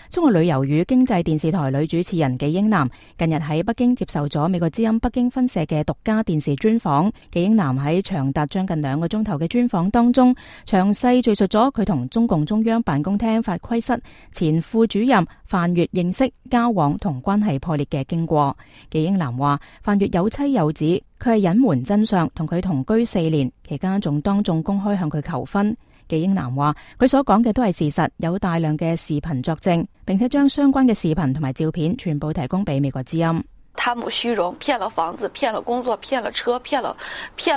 中國旅遊與經濟電視台女主持人紀英男近日喺北京接受咗美國之音北京分社嘅獨家電視專訪。紀英男喺長達將近2個鐘頭嘅專訪當中，詳細敘述咗佢同中共中央辦公廳法規室前副主任范越認識、交往同關係破裂嘅經過。紀英男話，范越有妻有子，佢係隱瞞真相，同佢同居4年，期間仲當眾公開向佢求婚。紀英男話，佢所講嘅都係事實，有大量嘅視頻作證，並且將相關嘅視頻同埋照片全部提供俾美國之音。貪慕虛榮，騙了房子，騙了工作，騙了車，騙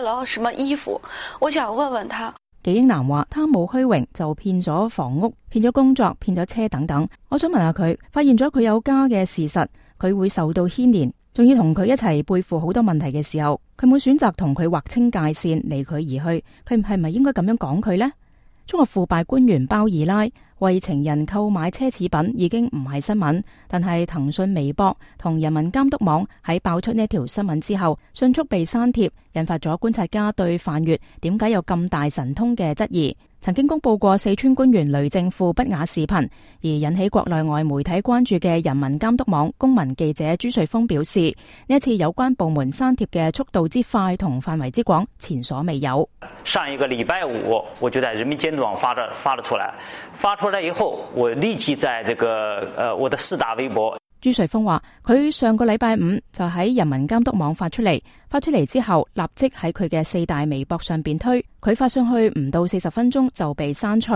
了什麼衣服。我想問問他，紀英男話，貪慕虛榮就騙咗房屋，騙咗工作，騙咗車等等。我想問下佢，發現咗佢有家嘅事實，佢會受到牽連，仲要同佢一齊背負好多問題嘅時候，佢會選擇同佢劃清界線，離佢而去。佢係咪應該咁樣講佢呢？中國腐敗官員包二奶為情人購買奢侈品已經唔係新聞，但係騰訊微博同人民監督網喺爆出呢條新聞之後，迅速被刪帖，引發咗觀察家對范越點解有咁大神通嘅質疑。曾經公布過四川官員雷政富不雅視頻而引起國內外媒體關注嘅人民監督網公民記者朱瑞峰表示，呢一次有關部門刪帖嘅速度之快同範圍之廣，前所未有。上一個禮拜5我就在人民監督網發了出來，發出來以後我立即在這個我的4大微博。朱瑞峰話，佢上個禮拜5就喺人民監督網發出嚟之後，立即喺佢嘅4大微博上邊推，佢發上去唔到40分鐘就被刪除。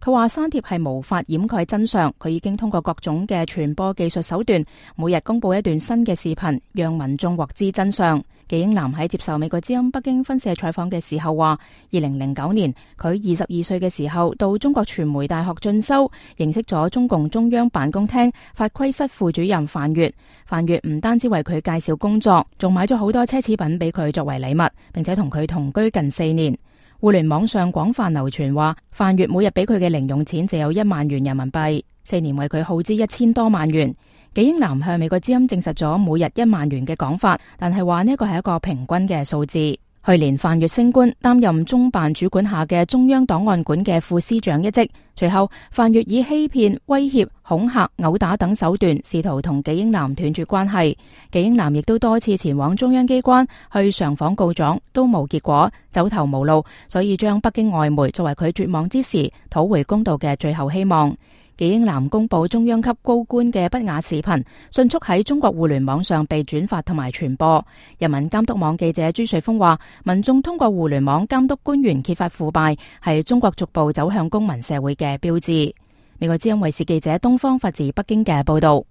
佢話刪帖係無法掩蓋真相，佢已經通過各種嘅傳播技術手段，每日公布一段新嘅視頻，讓民眾獲知真相。紀英男喺接受美國之音北京分社採訪嘅時候話，2009年佢22歲嘅時候到中國傳媒大學進修，認識咗中共中央辦公廳法規室副主任范越。范越唔單止為佢介紹工作，仲買咗好多奢侈品俾佢作為禮物，並且同佢同居近4年。互聯網上廣泛流傳話，范越每日俾佢嘅零用錢就有1萬元人民幣，4年為佢耗資1000多萬元。紀英男向美國之音證實咗每日1萬元嘅講法，但係話呢個係一個平均嘅數字。去年范越升官，擔任中辦主管下嘅中央檔案館嘅副司長一職。隨後，范越以欺騙、威脅、恐嚇、毆打等手段，試圖同紀英男斷絕關係。紀英男亦都多次前往中央機關去上訪告狀，都冇結果，走投無路，所以將北京外媒作為佢絕望之時討回公道嘅最後希望。紀英男公布中央級高官嘅不雅視頻，迅速喺中國互聯網上被轉發同埋傳播。人民監督網記者朱瑞峰話，民眾通過互聯網監督官員揭發腐敗，係中國逐步走向公民社會嘅標誌。美國之音衛視記者東方發自北京嘅報道。